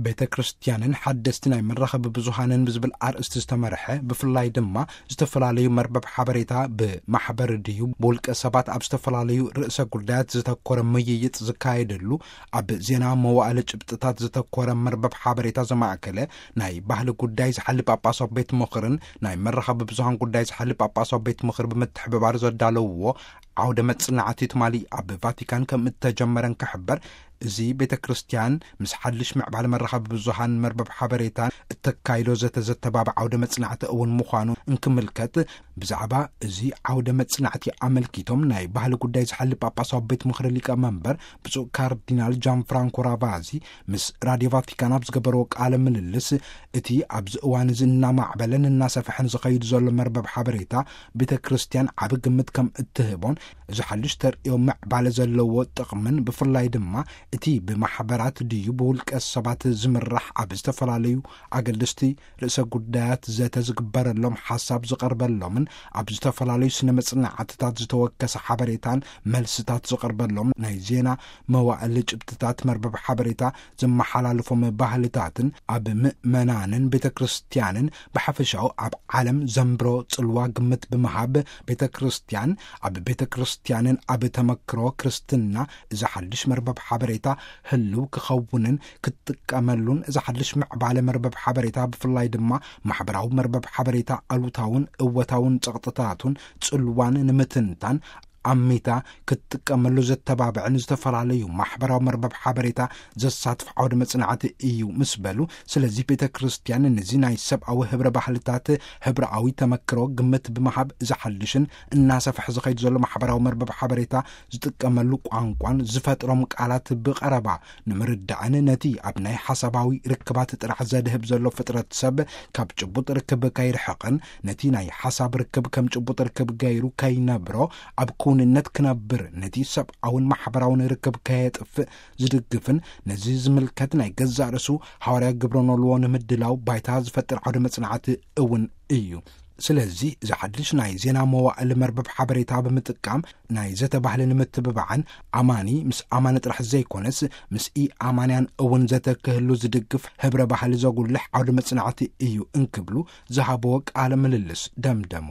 ቤተ ክርስቲያንን ሓደስቲ ናይ መራኸቢ ብዙሃንን ብዝብል ኣርእስቲ ዝተመርሐ፣ ብፍላይ ድማ ዝተፈላለዩ መርበብ ሓበሬታ ብማሕበር ድዩ ብውልቀ ሰባት ኣብ ዝተፈላለዩ ርእሰ ጉዳያት ዝተኮረ ምይይጥ ዝካየደሉ፣ ኣብ ዜና መዋእለ ጭብጥታት ዝተኮረ መርበብ ሓበሬታ ዘማእከለ፣ ናይ ባህሊ ጉዳይ ዝሓሊ ጳጳሳዊ ቤት ምኽርን ናይ መራኸቢ ብዙሃን ጉዳይ ዝሓሊ ጳጳሳዊ ቤት ምኽሪ ብምትሕብባር ዘዳለውዎ ዓውደ መጽናዕቲ ትማሊ ኣብ ቫቲካን ከም እተጀመረን ክሕበር፣ እዚ ቤተ ክርስቲያን ምስ ሓድሽ ምዕባለ መራኸቢ ብዙሃን መርበብ ሓበሬታን እተካይዶ ዘተ ዘተባብዕ ዓውደ መጽናዕቲ እውን ምዃኑ እንክምልከት፣ ብዛዕባ እዚ ዓውደ መጽናዕቲ ኣመልኪቶም ናይ ባህሊ ጉዳይ ዝሓሊ ጳጳሳዊ ቤት ምኽሪ ሊቀ መንበር ብፁዕ ካርዲናል ጃን ፍራንኮ ራቫዚ ምስ ራድዮ ቫቲካን ኣብ ዝገበርዎ ቃለ ምልልስ፣ እቲ ኣብዚ እዋን እዚ እናማዕበለን እናሰፍሐን ዝኸይድ ዘሎ መርበብ ሓበሬታ ቤተ ክርስቲያን ዓቢ ግምት ከም እትህቦን፣ እዚ ሓድሽ ተርእዮ ምዕባለ ዘለዎ ጥቕምን፣ ብፍላይ ድማ እቲ ብማሕበራት ድዩ ብውልቀ ሰባት ዝምራሕ ኣብ ዝተፈላለዩ ኣገደስቲ ርእሰ ጉዳያት ዘተ ዝግበረሎም፣ ሓሳብ ዝቐርበሎምን ኣብ ዝተፈላለዩ ስነ መጽናዕትታት ዝተወከሰ ሓበሬታን መልስታት ዝቐርበሎም ናይ ዜና መዋእል ጭብጥታት መርበብ ሓበሬታ ዘመሓላልፎም ባህልታትን ኣብ ምእመናንን ቤተ ክርስቲያንን ብሓፈሻኡ ኣብ ዓለም ዘንብሮ ጽልዋ ግምት ብምሃብ፣ ቤተ ክርስቲያን ኣብ ቤተ ክርስቲያንን ኣብ ተመክሮ ክርስትና እዚ ሓድሽ መርበብ ሓበሬታ ህልው ክኸውንን ክትጥቀመሉን፣ እዚ ሓድሽ ምዕባለ መርበብ ሓበሬታ ብፍላይ ድማ ማሕበራዊ መርበብ ሓበሬታ ኣሉታውን እወታውን ጸቕጥታቱን ጽልዋን ንምትንታን ኣሚታ ክትጥቀመሉ ዘተባብዕን ዝተፈላለዩ ማሕበራዊ መርበብ ሓበሬታ ዘሳትፍ ዓውደ መጽናዕቲ እዩ ምስ በሉ፣ ስለዚ ቤተ ክርስቲያን ነዚ ናይ ሰብኣዊ ህብረ ባህልታት ህብረኣዊ ተመክሮ ግምት ብምሃብ፣ ዝሓልሽን እናሰፍሐ ዝኸይድ ዘሎ ማሕበራዊ መርበብ ሓበሬታ ዝጥቀመሉ ቋንቋን ዝፈጥሮም ቃላት ብቐረባ ንምርዳእን ነቲ ኣብ ናይ ሓሳባዊ ርክባት ጥራሕ ዘድህብ ዘሎ ፍጥረት ሰብ ካብ ጭቡጥ ርክብ ከይርሕቕን ነቲ ናይ ሓሳብ ርክብ ከም ጭቡጥ ርክብ ገይሩ ከይነብሮ ኣብ ክውንነት ክነብር ነቲ ሰብኣውን ማሕበራውን ርክብ ከየጥፍእ ዝድግፍን ነዚ ዝምልከት ናይ ገዛእ ርእሱ ሃዋርያ ግብረ ኖልዎ ንምድላው ባይታ ዝፈጥር ዓውደ መጽናዕቲ እውን እዩ። ስለዚ እዚ ሓድሽ ናይ ዜና መዋእል መርበብ ሓበሬታ ብምጥቃም ናይ ዘተ ባህሊ ንምትብባዕን ኣማኒ ምስ ኣማኒ ጥራሕ ዘይኮነስ ምስ ኢ ኣማንያን እውን ዘተ ክህሉ ዝድግፍ ህብረ ባህሊ ዘጉልሕ ዓውደ መጽናዕቲ እዩ እንክብሉ ዝሃብዎ ቃለ ምልልስ ደምደሙ።